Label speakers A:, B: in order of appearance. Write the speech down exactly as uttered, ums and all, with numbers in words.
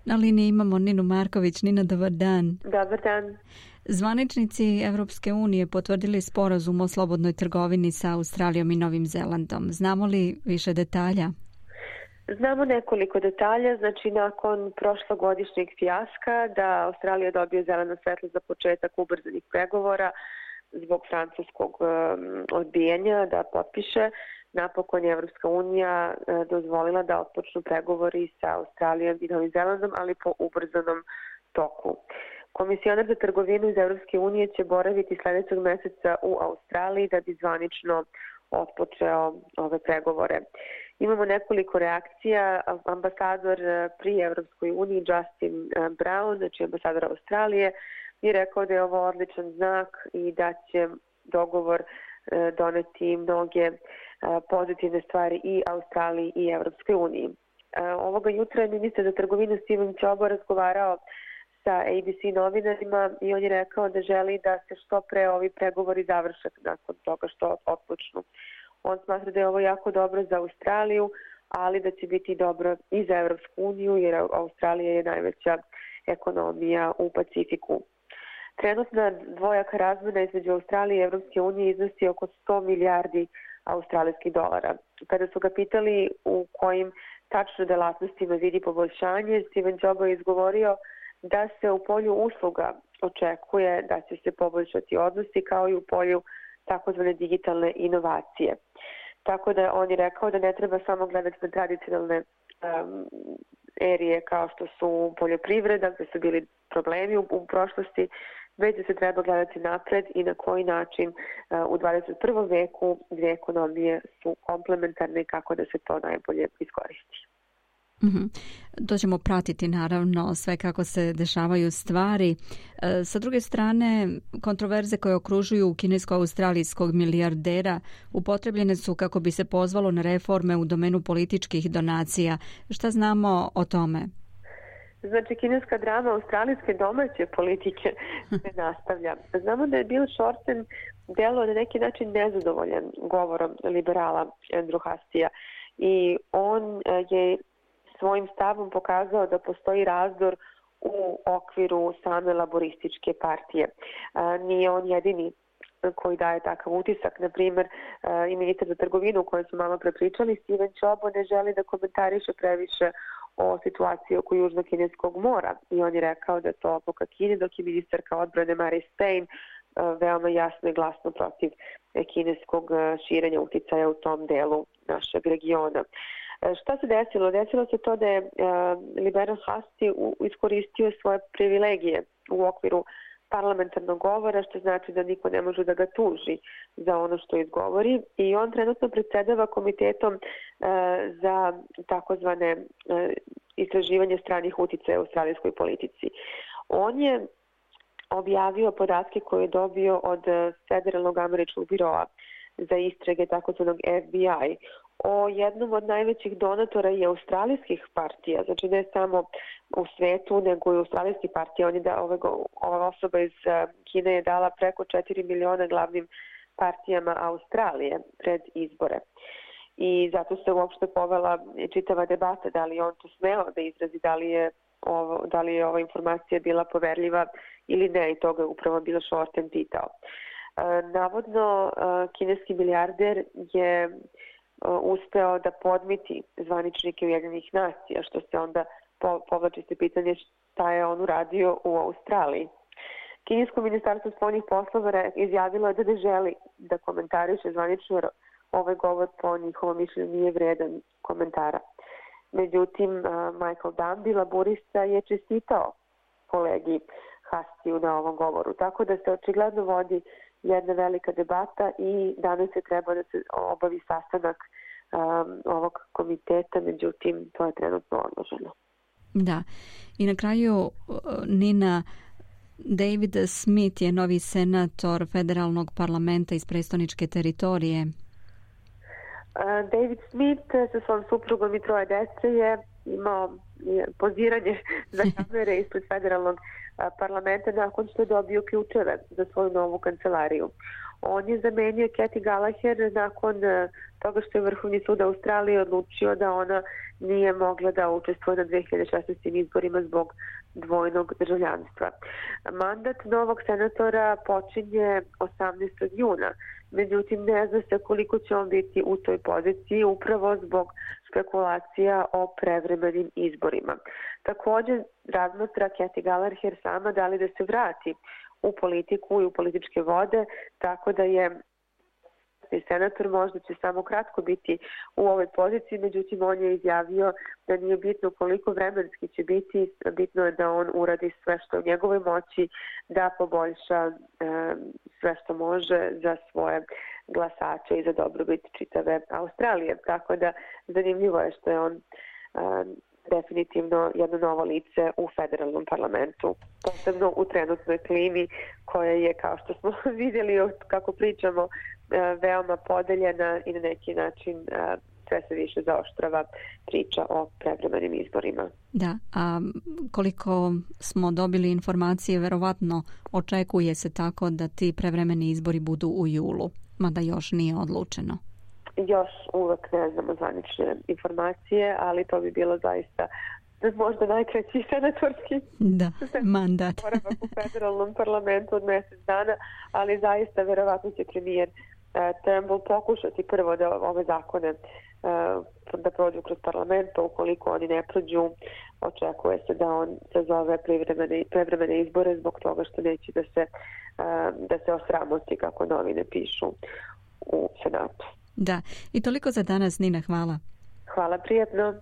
A: Na liniji imamo Ninu Marković. Nina, dobar dan.
B: Dobar dan.
A: Zvaničnici Evropske unije potvrdili sporazum o slobodnoj trgovini sa Australijom i Novim Zelandom. Znamo li više detalja?
B: Znamo nekoliko detalja. Znači, nakon prošlogodišnjeg fijaska da Australija dobije zeleno svetlo za početak ubrzanih pregovora zbog francuskog um, odbijanja da potpiše, napokon je Evropska unija uh, dozvolila da otpočnu pregovori sa Australijom i Novim Zelandom, ali po ubrzanom toku. Komisionar za trgovinu iz Evropske unije će boraviti sledećeg meseca u Australiji da bi zvanično otpočeo ove pregovore. Imamo nekoliko reakcija. Ambasador pri Evropskoj uniji Justin Brown, znači ambasador Australije, je rekao da je ovo odličan znak i da će dogovor doneti mnoge pozitivne stvari i Australiji i Evropskoj uniji. Ovoga jutra je ministar za trgovinu Steven Čobo razgovarao sa A B C novinarima i on je rekao da želi da se što pre ovi pregovori završe nakon toga što otpočnu. On smatra da je ovo jako dobro za Australiju, ali da će biti dobro i za Evropsku uniju, jer Australija je najveća ekonomija u Pacifiku. Trenutna dvojaka razmena između Australije i Evropske unije iznosi oko sto milijardi australijskih dolara. Kada su ga pitali u kojim tačno delatnostima vidi poboljšanje, Steven Čobo je izgovorio da se u polju usluga očekuje da će se poboljšati odnosi, kao i u polju takozvane digitalne inovacije. Tako da on je rekao da ne treba samo gledati na tradicionalne um, erije kao što su poljoprivreda, gde su bili problemi u, u prošlosti, već da se treba gledati napred i na koji način uh, u dvadeset prvom veku dvije ekonomije su komplementarne i kako da se to najbolje iskoristi.
A: Mm-hmm. To ćemo pratiti naravno sve kako se dešavaju stvari. E, sa druge strane, kontroverze koje okružuju kinesko-australijskog milijardera upotrebljene su kako bi se pozvalo na reforme u domenu političkih donacija. Šta znamo o tome?
B: Znači, kineska drama australijske domaće politike se nastavlja. Znamo da je Bill Shorten delo na neki način nezadovoljan govorom liberala Andrew Hastija i on je svojim stavom pokazao da postoji razdor u okviru same laborističke partije. Nije on jedini koji daje takav utisak. Na primjer, i ministar za trgovinu o kojoj smo malo prepričali, Steven Čobo ne želi da komentariše previše o situaciji oko Južno-Kineskog mora i on je rekao da je to odluka Kine, dok je ministarka odbrane Mary Spain veoma jasno i glasno protiv kineskog širenja uticaja u tom delu našeg regiona. Šta se desilo? Desilo se to da je liberal Hasti iskoristio svoje privilegije u okviru parlamentarnog govora, što znači da niko ne može da ga tuži za ono što izgovori i on trenutno predsedava komitetom za takozvane istraživanje stranih uticaja u australijskoj politici. On je objavio podatke koje je dobio od Federalnog američkog biroa za istrage takozvanog F B I o jednom od najvećih donatora i australijskih partija, znači ne samo u svetu, nego i australijskih partija. On je da, ove, ova osoba iz Kine je dala preko četiri miliona glavnim partijama Australije pred izbore. I zato se uopšte povela čitava debata da li on to smeo da izrazi, da li je, ovo, da li je ova informacija bila poverljiva ili ne, i toga je upravo Bill Shorten pitao. Navodno, kineski milijarder je uspeo da podmiti zvaničnike Ujedinjenih nacija, što se onda povlači se pitanje šta je on uradio u Australiji. Kinesko ministarstvo spoljnih poslova izjavilo je da ne želi da komentariše zvanično, jer ovaj govor po njihovom mišljenju nije vredan komentara. Međutim, Michael Dunby, laborista, je čestitao kolegi Hastiju na ovom govoru, tako da se očigledno vodi jedna velika debata i danas je treba da se obavi sastanak um, ovog komiteta, međutim to je trenutno odloženo.
A: Da, i na kraju Nina, David Smith je novi senator federalnog parlamenta iz prestoničke teritorije.
B: Uh, David Smith sa svojom suprugom i troje dece je imao poziranje za kamere ispred federalnog parlamenta nakon što je dobio ključeve za svoju novu kancelariju. On je zamenio Kathy Gallagher nakon toga što je Vrhovni sud Australije odlučio da ona nije mogla da učestvuje na dve hiljade šesnaestim izborima zbog dvojnog državljanstva. Mandat novog senatora počinje osamnaestog juna, međutim ne zna se koliko će on biti u toj poziciji upravo zbog spekulacija o prevremenim izborima. Također razmatra Kathy Gallagher sama da li da se vrati u politiku i u političke vode, tako da je senator možda će samo kratko biti u ovoj poziciji, međutim on je izjavio da nije bitno koliko vremenski će biti, bitno je da on uradi sve što je u njegovoj moći da poboljša e, sve što može za svoje glasače i za dobrobit čitave Australije. Tako da zanimljivo je što je on e, definitivno jedno novo lice u federalnom parlamentu, posebno u trenutnoj klimi koja je, kao što smo vidjeli kako pričamo, veoma podeljena i na neki način sve se više zaoštrava priča o prevremenim izborima.
A: Da, a koliko smo dobili informacije, verovatno očekuje se tako da ti prevremeni izbori budu u julu, mada još nije odlučeno.
B: Još uvek ne znamo zvanične informacije, ali to bi bilo zaista možda najkraći senatorski
A: da, mandat
B: boravak u federalnom parlamentu od mjesec dana, ali zaista verovatno će premijer uh, Turnbull pokušati prvo da ove zakone uh, da prođu kroz parlament, pa ukoliko oni ne prođu, očekuje se da on sazove prevremene, prevremene izbore zbog toga što neće da se, uh, da se osramoti, kako novine pišu u Senatu.
A: Da, i toliko za danas, Nina, hvala.
B: Hvala, prijatno.